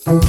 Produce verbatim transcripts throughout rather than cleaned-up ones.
nou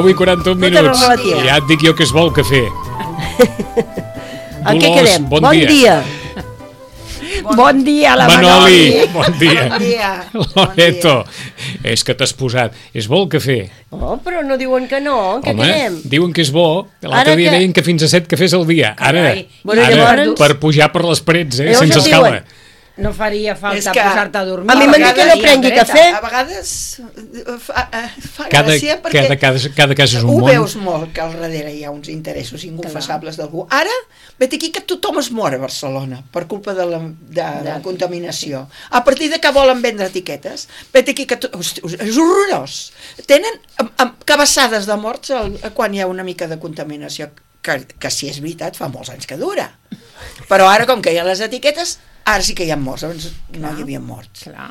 i quaranta-un minuts. Ja et dic jo que es vol cafè. En què quedem? Bon, bon dia. dia. Bon, bon dia, la Manoli. Bon dia. Bon dia. Loreto, és que t'has posat. És bo el cafè? Oh, però no diuen que no. En què Home, quedem? diuen que és bo. L'altre dia que... deien que fins a set cafès al dia. Ara, bueno, ara llavors... per pujar per les parets, eh, sense escala. Diuen... No faria falta que... posar-te a dormir. A mi m'han dit que no prengui cafè. A vegades fa, fa cada, gràcia perquè cada, cada, cada cas és un ho món. Ho veus molt, que al darrere hi ha uns interessos inconfessables d'algú. Ara, vet aquí que tothom es mor a Barcelona per culpa de la, de, de la contaminació. A partir de que volen vendre etiquetes, vet aquí que to... és horrorós. Tenen amb, amb cabassades de morts el, quan hi ha una mica de contaminació, que, que si és veritat fa molts anys que dura. Però ara, com que hi ha les etiquetes, ara sí que hi ha morts, abans no hi havia morts. Clar.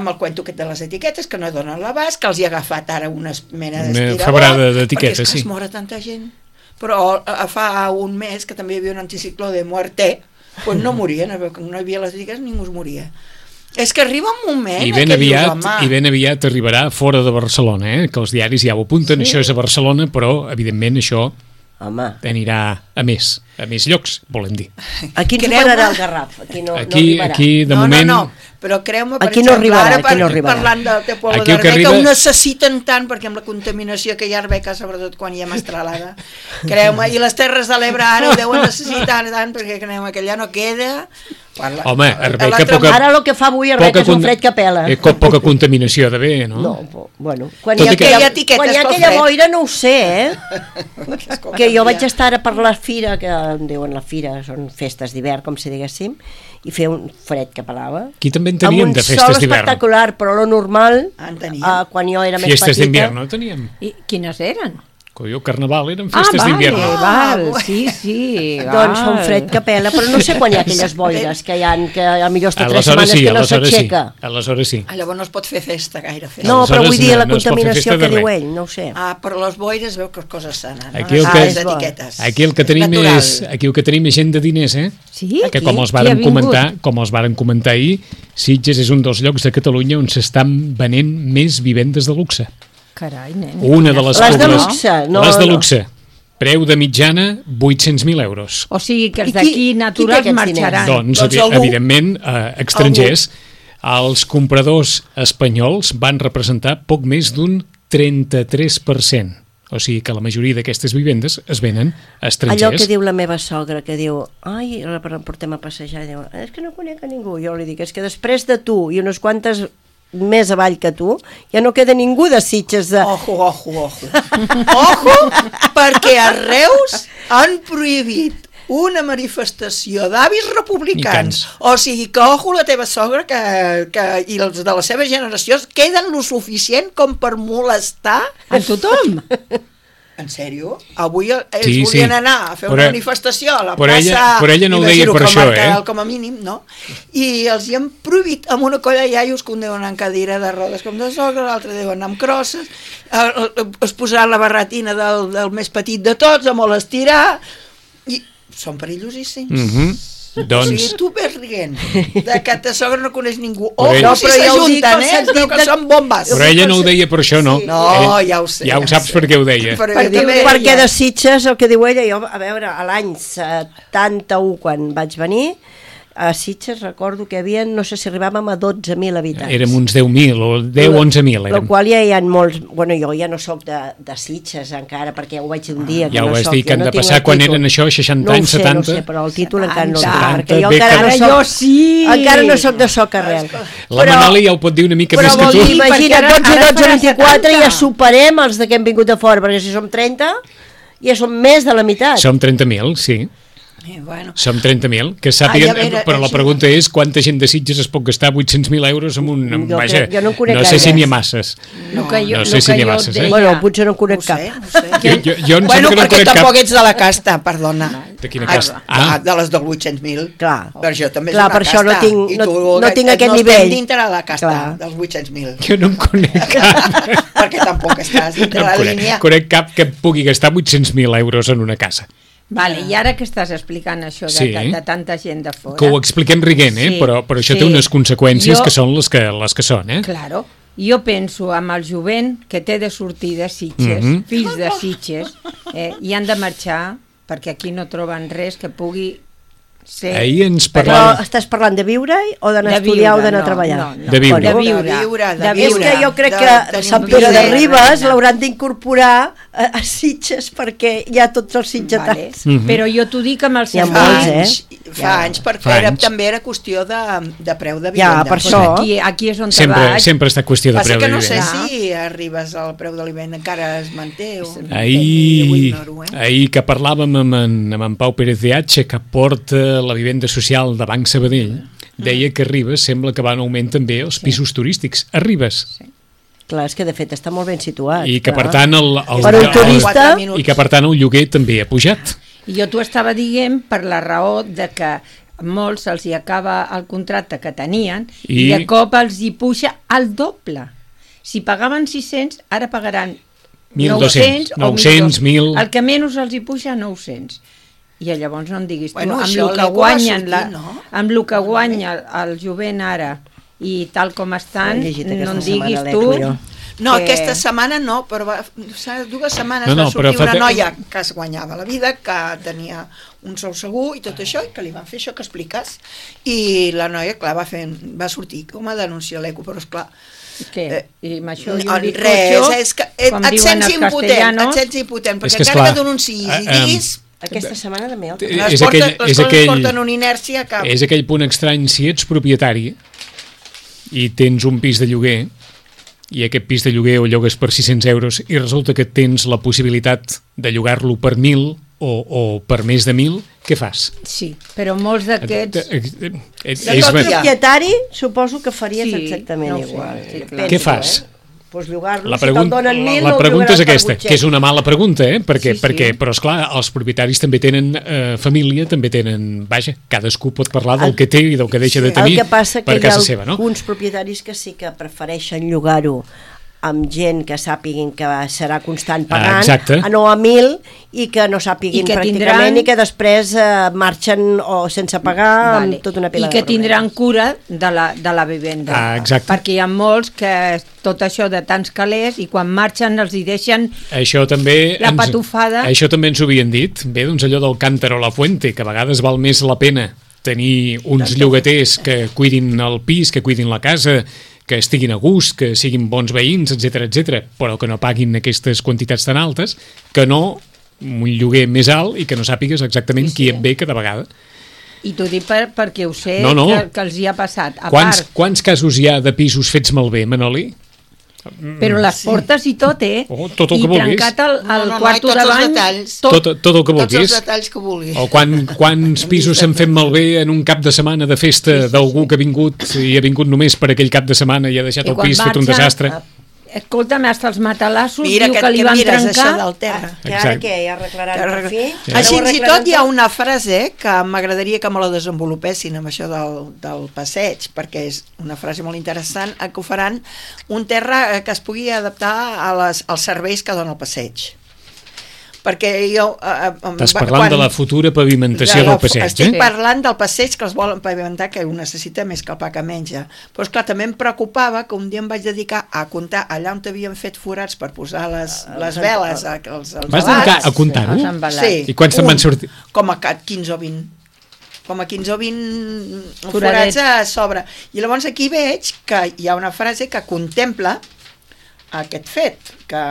Amb el cuento aquest de les etiquetes, que no donen l'abast, que els hi ha agafat ara una mena Una d'estirador, febrada d'etiquetes, perquè és que sí. es mora tanta gent. Però fa un mes que també hi havia un anticicló de muerte, doncs no morien, no hi havia les etiquetes, ningú es moria. És que arriba un moment I ben, que aviat, dius, home... I ben aviat arribarà fora de Barcelona, eh? Que els diaris ja ho apunten, sí. Això és a Barcelona, però evidentment això Home. anirà a més, a més llocs, volem dir. Aquí ens superarà el Garraf, aquí no, aquí, no arribarà. Aquí, de no, moment... No, no, però creu-me, per aquí exemple, no arribarà, ara aquí no arribarà. Parlant del teu poble aquí d'Arbeca, arriba... ho necessiten tant, perquè amb la contaminació que hi ha a Arbeca, sobretot quan hi ha mestralada, creu-me, i les Terres de l'Ebre ara ho deuen necessitar tant, perquè creu-me que allà no queda... Parla, Home, Arbeca poca... Ara el que fa avui Arbeca és un fred que pela. Eh, poca contaminació ha d'haver, no? No, bueno, quan hi ha aquella, quan hi ha aquella boira no ho sé, eh? Que jo vaig estar ara per la fira, que em diuen la fira, són festes d'hivern, com si diguéssim, i feia un fred que pelava. Aquí també en teníem de festes d'hivern. Amb un sol espectacular, però lo normal, uh, quan jo era més petita... Festes d'hivern no teníem. I quines eren? Jo, carnaval, eren festes ah, d'hivern. Ah, val, sí, sí. Doncs fa un fred que pela, però no sé quan hi ha aquelles boires que hi ha, que a millor està tres setmanes sí, que no s'aixeca. Sí. Aleshores sí. Ah, llavors no es pot fer festa, gaire festa. No, però vull dir no, la contaminació no que diu ell, no ho sé. Ah, però les boires veu que coses sanen. Aquí el no? que, ah, etiquetes. Aquí el que tenim és, aquí el que tenim és gent de diners, eh? Sí? Que com els varen comentar, com els varen comentar ahir, Sitges és un dels llocs de Catalunya on s'estan venent més vivendes de luxe. Carai, nen. Una de les, les de luxe, no, les de no. luxe. Preu de mitjana vuit-cents mil euros. O sigui que els d'aquí naturals marxaran. Doncs, doncs algú, evidentment, eh, estrangers. Algú. Els compradors espanyols van representar poc més d'un trenta-tres per cent. O sigui que la majoria d'aquestes vivendes es venen a estrangers. Allò que diu la meva sogra, que diu, ai, la portem a passejar, diu, és que no conec a ningú. Jo li dic, és que després de tu i unes quantes més avall que tu, ja no queda ningú de Sitges de... Ojo, ojo, ojo. Ojo, perquè a Reus han prohibit una manifestació d'avis republicans. O sigui que, ojo, la teva sogra que, que, i els de la seva generació queden lo suficient com per molestar a tothom. En sèrio? Avui ells sí, volien sí. anar a fer però, una manifestació a la però plaça... Ella, però ella no ho deia per això, eh? Com a mínim, no? I els hi han prohibit amb una colla de iaios que un deuen anar en cadira de rodes com de sogra, l'altre deuen anar amb crosses, es posaran la barretina del, del més petit de tots, a molt estirar, i són perillosíssims. Mm-hmm. Doncs... O sigui, tu ves rient de que ta sogra no coneix ningú. O ell... no, però si s'ajunten, eh? Es veu que són bombes. Però ella no ho deia per això, no? Sí. No, ja ho sé. Ja ho saps per què ho deia. Perquè, perquè de Sitges, el que diu ella, jo, a veure, a l'any setanta-u, quan vaig venir, a Sitges recordo que hi havia, no sé si arribàvem a dotze mil habitants. Érem uns deu mil o deu a onze mil. El qual ja hi ha molts... Bueno, jo ja no sóc de, de Sitges encara, perquè ja ho vaig dir un dia. Ja ho vas no dir que han no de passar quan eren això, seixanta anys, setanta? No ho sé, no sé, però el títol encara no el setanta, tinc, perquè jo bé encara que- no Jo soc... sí! Encara no soc de soc arrel. La Manoli ja ho pot dir una mica Però més que vol tu. dir, imagina't, perquè ara- dotze, ara dotze, farà vint-i-quatre setanta. ja superem els de que hem vingut de fora, perquè si som trenta ja som més de la meitat. Som trenta mil, sí. Eh, bueno. Som trenta mil. Que sàpiguen, Ai, a veure, però la això- pregunta és quanta gent de Sitges es pot gastar vuit-cents mil euros en un... Jo Vaja, crec- jo no en conec no sé si gaires. n'hi ha masses. No, que jo, No sé lo si que n'hi ha jo masses, eh? deia- Bueno, potser no en No conec ho cap. sé, no ho sé. Jo, jo, jo em Bueno, sembla que no perquè conec tampoc cap... ets de la casta, perdona. De quina Ah, casta? ah, Ah. de les del vuit-cents mil. Clar. Per això també Clar, és una per això no casta. tinc- I no- tu, no tinc aquest no nivell. estem dintre de la casta, Clar. dels vuit-cents mil. Jo no em conec cap. Perquè tampoc estàs dintre No la em conec, línia. conec cap que pugui gastar vuit-cents mil euros en una casa. Vale, i ara que estàs explicant això de, Sí. de, de tanta gent de fora... Que ho expliquem riguent, eh? Sí, però, però això sí. té unes conseqüències Jo- que són les que, les que són, eh? Claro. Jo penso amb el jovent que té de sortir de Sitges, Mhm. fills de Sitges, eh, i han de marxar perquè aquí no troben res que pugui ser... Ahir ens Però parlava... estàs parlant de viure o d'anar a De estudiar viure, o d'anar a no, treballar? no, no. De viure. De viure. De viure, de De És viure. que jo crec De que tenir Sant un Pere de pis Ribes l'hauran d'incorporar a, a Sitges perquè hi ha tots els Vale. sitgetans. Mhm. Però jo t'ho dic amb el Hi ha Fa molts, sentit... eh? anys, fa Ja. anys, perquè Fa era, anys. també era qüestió de, de preu de Ja, vivenda. per Pues això. Aquí, aquí és on te Sempre, vaig. sempre està qüestió de Passa preu que de no sé vivenda. si arribes al preu de l'aliment, encara es manté o... Jo ho Ahir, ignoro, eh? ahir que parlàvem amb en, amb en Pau Pérez de H, que porta la vivenda social de Banc Sabadell, deia que a Ribes sembla que va en augment també els pisos turístics. A Ribes. Clar, és que de fet està molt ben situat. I que clar. per tant el, el, Per un el- turista- Quatre minuts. i que per tant el lloguer també ha pujat. I jo t'ho estava dient per la raó de que a molts els hi acaba el contracte que tenien i, I- de cop els hi puja al doble. Si pagaven sis-cents, ara pagaran mil dos-cents, o nou-cents, mil... El que menys els hi puja, nou-cents. I llavors no em diguis tu, Bueno, amb això el que l'Eco va guanyen, sortir, la, no? amb el que guanya el jovent ara i tal com estan, He llegit no aquesta em diguis setmana tu... l'Eco, jo. No, que- aquesta setmana no, però va, fa dues setmanes No, no, va sortir però fa una te- noia que es guanyava la vida, que tenia un sou segur i tot això, i que li van fer això que expliques. I la noia, clar, va, fer, va sortir com a denunciar l'Eco, però esclar... Què? Eh, I amb això i no, un res, bizcocho, és que et, com et diuen sents els impotent, castellanos. et sents impotent, És perquè que, encara esclar, que denunciïs eh, i em, diguis... Aquesta setmana també el Eh, Les, és portes, aquell- les és coses aquell- porten una inèrcia que... És aquell punt estrany, si ets propietari i tens un pis de lloguer i aquest pis de lloguer ho llogues per sis-cents euros i resulta que tens la possibilitat de llogar-lo per mil o, o per més de mil, què fas? Sí, però molts d'aquests... Eh, eh, eh, De és tot ver- hi ha. propietari suposo que faries Sí, exactament no ho sé, igual. sí, clar. Penso, Què fas? Eh? Pues llogar-lo, La, si pregun te'l donen mil, la el pregunta és llogaràs per aquesta, que és vuit-cents. una mala pregunta, eh? perquè, Sí, sí. perquè però esclar, els propietaris també tenen eh, família, també tenen, vaja, cadascú pot parlar del El- que té i del que deixa de El tenir que passa per que hi ha casa seva, no? alguns propietaris que sí que prefereixen llogar-ho amb gent que sàpiguin que serà constant Ah, pagant, exacte. a no a mil, i que no sàpiguin I que pràcticament tindran- i que després eh, marxen o sense pagar Vale. amb tota una pila I que de tindran problemes. cura de la, de la vivenda. Ah, exacte. Perquè hi ha molts que tot això de tants calés i quan marxen els hi deixen... Això també... La patufada. Això també ens ho havien dit. Bé, doncs allò del Cántaro a la Fuente, que a vegades val més la pena tenir uns llogaters que cuidin el pis, que cuidin la casa, que estiguin a gust, que siguin bons veïns, etcètera, etcètera, però que no paguin aquestes quantitats tan altes, que no un lloguer més alt i que no sàpigues exactament Sí, sí. qui et ve cada vegada. I t'ho dic per, perquè ho sé, No, no. Que, que els hi ha passat. A Quants, part, quants casos hi ha de pisos fets malbé, Manoli? però les portes i tot, eh? Oh, tot el I que vulguis. trencat el, No, el no, no, i quarto tots de els bany... detalls. Tot, Tot, tot el que Tots els vulguis. detalls que vulguis. O quan, quants pisos s'han fet malbé en un cap de setmana de festa d'algú que ha vingut i ha vingut només per aquell cap de setmana i ha deixat I el quan pis fet un marxa, desastre. Escolta'm, hasta els matalassos Mira, diu que, que li que van mires trencar... això del terra. Que ara Exacte. què, ja arreglaran Que per arregla- fi? Sí. Ara Així ho fins i arreglaran tot hi ha tot? una frase que m'agradaria que me la desenvolupessin amb això del, del passeig, perquè és una frase molt interessant, eh, que ho faran un terra eh, que es pugui adaptar a les, als serveis que dona el passeig. perquè jo... Eh, Estàs parlant quan, de la futura pavimentació de la, del passeig, estic eh? Estic parlant del passeig que els volen pavimentar, que ho necessita més que el pa que menja. Però, esclar, també em preocupava que un dia em vaig dedicar a comptar allà on havien fet forats per posar les, les veles, els, els Vas dedicar a comptar-ho? Sí. I quants te'n van sortir? Com a quinze o vint. Com a quinze o vint forats a sobre. I llavors aquí veig que hi ha una frase que contempla aquest fet, que,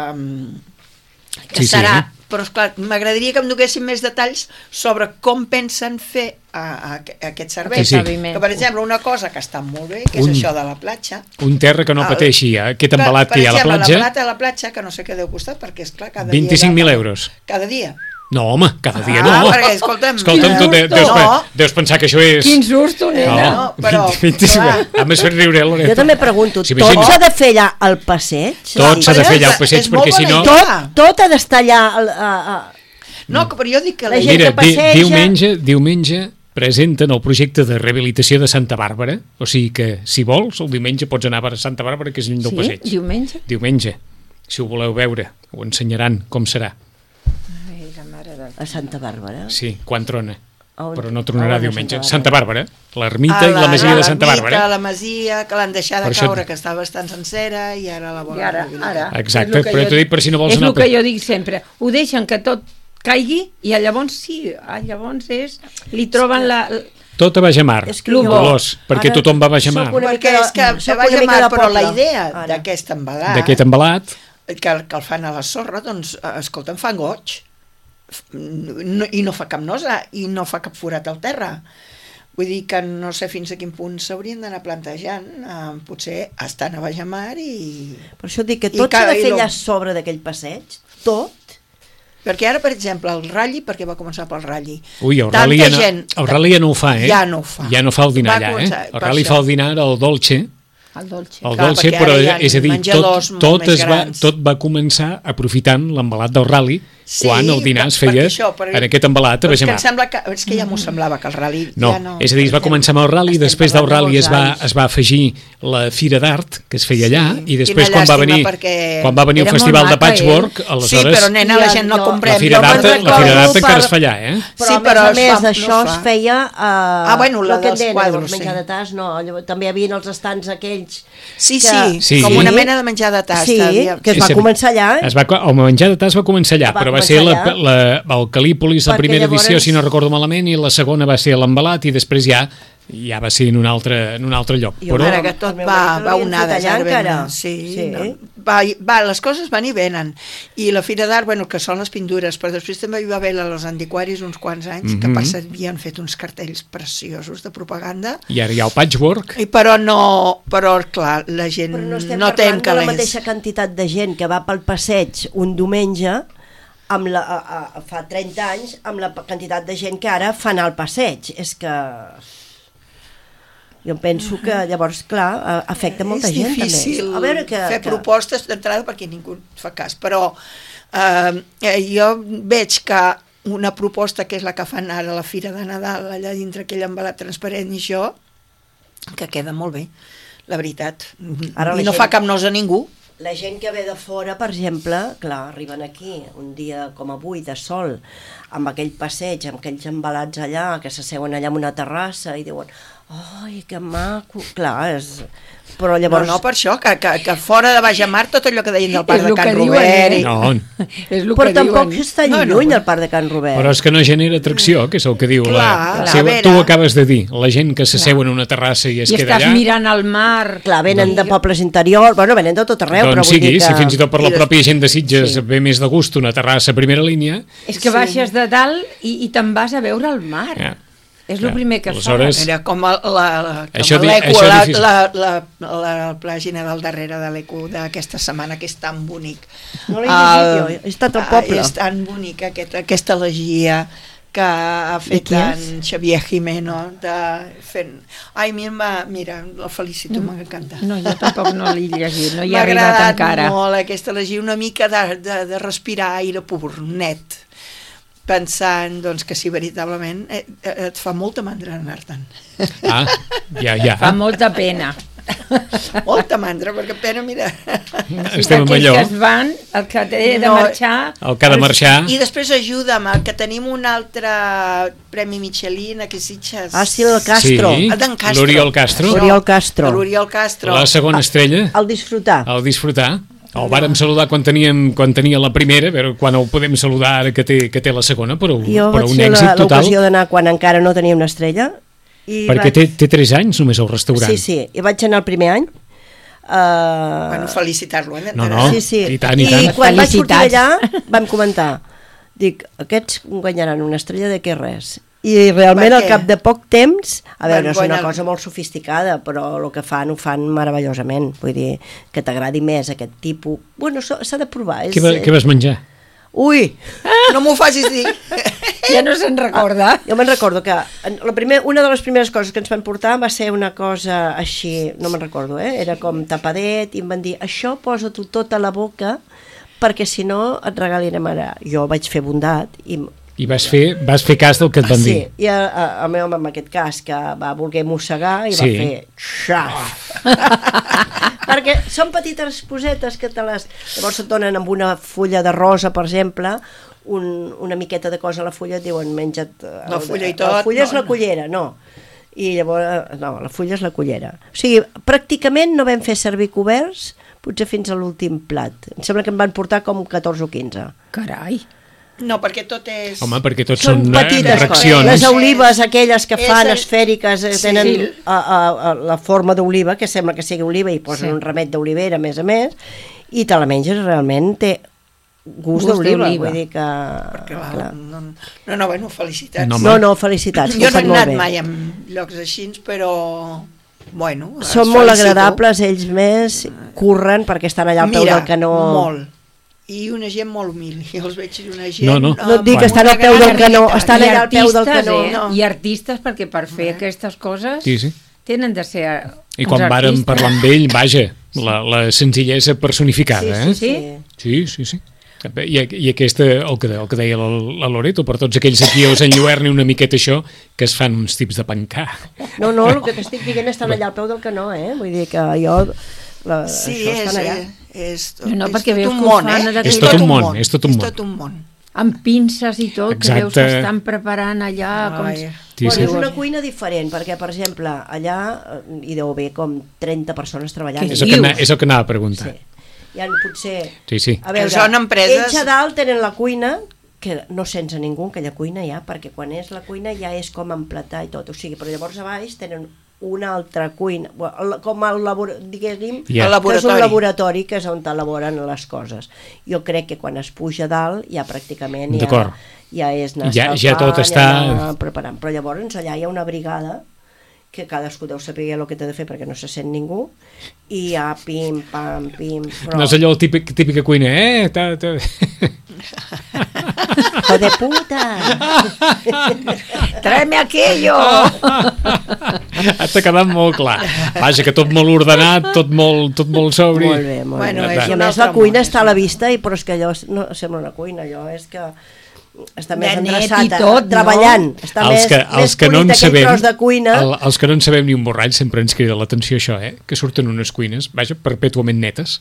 que sí, serà... Sí. Però, esclar, m'agradaria que em donessin més detalls sobre com pensen fer a, a, a aquest servei. Sí, sí. Que, per exemple, una cosa que està molt bé, que un, és això de la platja. Un terra que no el, pateixi, eh? Aquest embalat que hi ha a la platja. Per exemple, la plata de la platja, que no sé què deu costar, perquè, esclar, cada dia... vint-i-cinc mil euros. Cada dia. No, home, cada dia ah, no. Perquè, escolta'm... Escolta'm, tu de, deus, no. deus pensar que això és... Quin susto, nena. No, però... A més fer riure, Loreto. Jo també pregunto, sí, tot s'ha de fer allà al passeig? Tot s'ha de fer allà al passeig, perquè si no... Tot, tot ha d'estar allà... A, a... No, però jo dic que... La gent Mira, que passeja... di, diumenge, diumenge presenten el projecte de rehabilitació de Santa Bàrbara, o sigui que, si vols, el diumenge pots anar a Santa Bàrbara, que és lluny del sí? passeig. Diumenge? Diumenge. Si ho voleu veure, ho ensenyaran com serà. Ai, la mare del... A Santa Bàrbara? Sí, quan trona. On, però no tronarà diumenge. Santa Santa Bàrbara, l'ermita i la masia de Santa Bàrbara. La masia que l'han deixat de caure, que estava bastant sencera, i ara la volen... I ara, ara. Exacte, però t'ho dic per si no vols és anar... És el que jo dic sempre, ho deixen que tot caigui i llavors sí, llavors és... li troben la... Tot a Bajamar, Dolors, perquè tothom va a Bajamar. Perquè és que a Bajamar, però la idea d'aquest embalat... D'aquest embalat... Que, que el fan a la sorra, doncs, escolta, em fan goig. No, i no fa cap nosa, i no fa cap forat al terra. Vull dir que no sé fins a quin punt s'haurien d'anar plantejant, eh, potser estan a Bajamar i... Per això dic que tot s'ha de fer allà sobre d'aquell passeig, tot. Perquè ara, per exemple, el Ralli, perquè va començar pel Ralli. Ui, el Ralli ja, no, gent, el Ralli ja no ho fa, eh? Ja no ho fa. Ja no fa el dinar allà, eh? El Ralli fa el dinar al Dolce. El Dolce. El Clar, Dolce, però és a dir, tot, tot, es va, tot va començar aprofitant l'embalat del Ralli, sí, quan el dinar es feia això, però, en aquest embalat a Bajamar. És que, que, és que ja m'ho semblava que el Ralli... No, ja no, és a dir, es va començar amb el Ralli, després del Ralli es va, es va afegir la Fira d'Art, que es feia allà, sí, i després quan va venir quan va venir el Festival de Patchwork, aleshores... Sí, però nena, la gent no comprem. La Fira d'Art encara es fa allà, eh? Però a més a més d'això es feia... Ah, bueno, la dels quadros, sí. Menjar de tas, no, també hi havia els estants aquells... Sí, sí, com una mena de menjar de tas. Sí, que es va començar allà. El menjar de tas va començar allà, però va ser la el Calípolis, la primera edició, si no recordo malament, i la segona va ser l'embalat, i després ja ja va ser en un altre, en un altre lloc. I però... ara que tot va, va onades, ara sí, sí. No, va, va, les coses van i venen. I la Fira d'Art, bueno, que són les pintures, però després també hi va haver als antiquaris uns quants anys, mm-hmm. que per cert havien fet uns cartells preciosos de propaganda. I ara hi ha el patchwork. I però no, però clar, la gent però no estem no té parlant de la mateixa quantitat de gent que va pel passeig un diumenge amb la, a, a, fa trenta anys amb la quantitat de gent que ara fan al passeig. És que jo penso que llavors, clar, afecta molta gent també. És difícil a veure que, fer que... propostes d'entrada perquè ningú fa cas, però eh, jo veig que una proposta que és la que fan ara a la Fira de Nadal, allà dintre aquell embalat transparent i això, que queda molt bé, la veritat. Ara I no gent... fa cap nosa a ningú. La gent que ve de fora, per exemple, clar, arriben aquí un dia com avui de sol, amb aquell passeig, amb aquells embalats allà, que s'asseuen allà en una terrassa i diuen, ai, que maco, clar, és... Però llavors... No, no, per això, que, que, que fora de Bajamar tot allò que deien del parc de Can Robert... Eh? I... No, és el però que tampoc diuen. està no, lluny no. El parc de Can Robert. Però és que no genera atracció, que és el que diu clar, la... clar, Si, tu ho acabes de dir, la gent que s'asseu en una terrassa i es I queda allà... I estàs mirant al mar... Clar, venen de pobles interiors, bueno, venen de tot arreu, doncs però vull sigui, dir que... si fins i tot per la I pròpia gent de Sitges sí. ve més de gust una terrassa a primera línia... És que baixes de dalt i, i te'n vas a veure el mar. Ja. És el ja. primer que Aleshores... fa. Era com l'E Q Això, U, això la, la, la, la, la pàgina del darrere de l'E Q U d'aquesta setmana, que és tan bonic. No l'he llegit jo, he estat al poble. És tan bonic aquest, aquesta elegia que ha fet en Xavier Jimeno de fent... Ai, mira, mira el felicito, no, m'encanta. No, jo tampoc no l'he llegit, no hi he arribat encara. M'ha agradat molt aquesta elegia, una mica de, de, de respirar aire pur, net, pensant doncs, que si veritablement et, et fa molta mandra anar-te'n. Ah, ja, ja. Fa molta pena. Molta mandra, perquè pena, mira... Estem amb allò. Que es van, el que té de marxar... El que ha de marxar... I després ajuda'm, que tenim un altre Premi Michelin, aquí Sitges. Ah, sí, el Castro. Sí, el d'en Castro. l'Oriol Castro. L'Oriol Castro. L'Oriol Castro. La segona estrella. El disfrutar. El disfrutar. El vàrem saludar quan teníem quan tenia la primera, però quan el podem saludar ara que té, que té la segona, però, jo però un vaig èxit fer total. l'ocasió d'anar quan encara no tenia una estrella. I Perquè vaig... té, té tres anys només al restaurant. Sí, sí, i vaig anar el primer any. Uh... Bueno, felicitar-lo. Eh? No, no, sí, sí. i tant, i I tant. quan vaig sortir d'allà vam comentar, dic, aquests guanyaran una estrella de què res. I realment al cap de poc temps, a veure, és una cosa molt sofisticada, però el que fan ho fan meravellosament, vull dir, que t'agradi més aquest tipus, bueno, s'ha de provar. És... Què, va, què vas menjar? Ui! No m'ho facis dir. Ja no se'n recorda. Ah, jo me'n recordo que la primer, una de les primeres coses que ens van portar va ser una cosa així, no me'n recordo, eh? Era com tapadet, i em van dir, això posa-t'ho tot a la boca perquè si no et regalirem ara. Jo vaig fer bondat i... I vas fer, vas fer cas del que et van sí, dir. Sí, i a, a, el meu home en aquest cas que va voler mossegar i sí. va fer xaf. Perquè són petites posetes que te les... Llavors et donen amb una fulla de rosa, per exemple, un, una miqueta de cosa a la fulla, et diuen menja't... El, la fulla i tot. La fulla no, és la cullera, no. I llavors, no, la fulla és la cullera. O sigui, pràcticament no vam fer servir coberts, potser fins a l'últim plat. Em sembla que em van portar com catorze o quinze. Carai. No, perquè tot és... Home, perquè tot són, són petites reaccions. Coses. Les olives, aquelles que fan el... esfèriques, sí, tenen sí. A, a, a la forma d'oliva, que sembla que sigui oliva, i posen sí. un remet d'olivera, a més a més, i te la menges realment, té gust, gust d'oliva, vull dir que... Perquè, clar, no, no, no, bueno, felicitats. No, no, no felicitats. Jo no he anat mai en llocs així, però... Bueno, són molt agradables, ells més, curren perquè estan allà al peu del canó. Molt. I una gent molt humil, jo els veig una gent... No, no. No et dic que estan al peu del canó, estan allà al peu del canó. Eh? No. I artistes, perquè per fer eh. aquestes coses sí, sí. tenen de ser I quan vàrem parlar amb ell, vaja, la, la senzillesa personificada, sí, sí, eh? Sí, sí, sí. sí. I, i aquesta, el que, el que deia la, la Loreto, per tots aquells aquí us enlluerni una miqueta això, que es fan uns tips de pencar. No, no, el que t'estic dient estan allà al peu del canó, eh? Vull dir que jo... La, sí, és, és, és, no, no, és perquè tot veus un que món, fan eh? És tot un món, és tot un món. És tot un món. Amb pinces i tot, exacte. Que veus que estan preparant allà... Com... Sí, sí. Bueno, és una cuina diferent, perquè, per exemple, allà hi deu haver com trenta persones treballant. És el, que, és el que anava a preguntar. Sí. Hi ha potser... Sí, sí. A veure, són empreses... ells a dalt tenen la cuina, que no sents a ningú aquella cuina ja, perquè quan és la cuina ja és com emplatar i tot, o sigui, però llavors a baix tenen una altra cuina, com el laboratori, diguéssim, yeah. que és un laboratori que és on elaboren les coses. Jo crec que quan es puja dalt ja pràcticament ja, ja és anar ja, ja tot està... ja preparant, però llavors allà hi ha una brigada que cadascú deu saber el que té de fer perquè no se sent ningú i ja pim, pam, pim... Però... No és allò el típic, típica cuina, eh? Ta, ta... ¡Hijo de puta! Tráeme aquello! T'ha quedat molt clar. Vaja, que tot molt ordenat, tot molt, tot molt sobri. Molt bé, molt bueno, bé. I a més la cuina està a la vista, i, però és que allò no sembla una cuina, allò és que està més endreçat, tot, treballant. No? Està els més, que, més els que no en sabem, de cuina. El, els que no en sabem ni un borrall sempre ens crida l'atenció això, eh? Que surten unes cuines, vaja, perpètuament netes.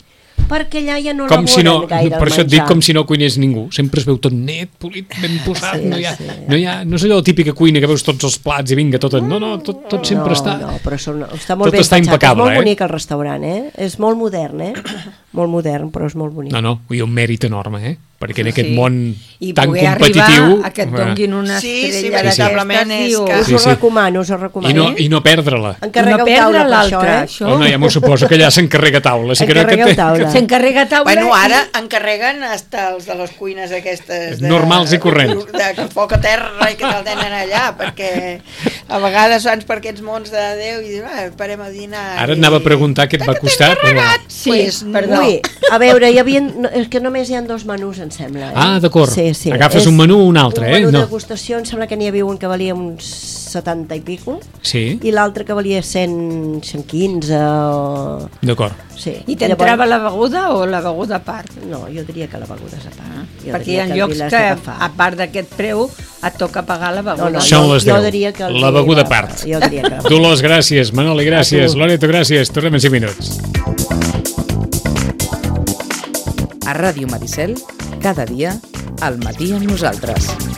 Perquè allà ja no com elaboren si no, gaire per això el et dic com si no cuinés ningú, sempre es veu tot net, polit, ben posat, sí, no, hi ha, sí. no, hi ha, no és allò la típica cuina que veus tots els plats i vinga, tot, no, no, tot, tot sempre no, està no, però són, està molt tot ben està pensat, impecable, és molt eh? bonic el restaurant, eh? És molt modern, eh? Molt modern, però és molt bonic. No, no, hi ha un mèrit enorme, eh? Perquè en aquest sí. món I tan competitiu... I a que et donguin una sí, estrella sí, d'aquestes, sí, diu... que... Us ho sí, sí. recomano, us ho recomano. I no, i no perdre-la. Encarregueu no taula per això, eh? això. Oh, no, ja m'ho suposo que allà s'encarrega taula. Si Encarregueu que... taula. S'encarrega taula. Bueno, ara encarreguen hasta els de les cuines aquestes... De, normals i corrents. De, de foc a terra i que te'l tenen allà, perquè a vegades vans per aquests mons de Déu i dius, ah, parem a dinar... Ara i... anava a preguntar què et va costar. Però... Sí, pues, perdó. Ui, a veure, hi havia... és que només hi ha dos menús, em sembla. Eh? Ah, d'acord. Sí, sí. Agafes és un menú o un altre, un eh? menú No. de degustació, em sembla que n'hi havia un que valia uns setanta i pico, sí. i l'altre que valia cent, cent quinze o... D'acord. Sí. I t'entrava Llavors... la beguda o la beguda a part? No, jo diria que la beguda és a part. Ah, perquè hi ha llocs que, a part d'aquest preu, et toca pagar la beguda. No, no, Són jo, les jo diria que... La beguda a part. Jo diria que... Dolors, gràcies. Manoli, gràcies. Loreto, gràcies. Tornem en cinc minuts. A Ràdio Maricel, cada dia, al matí amb nosaltres.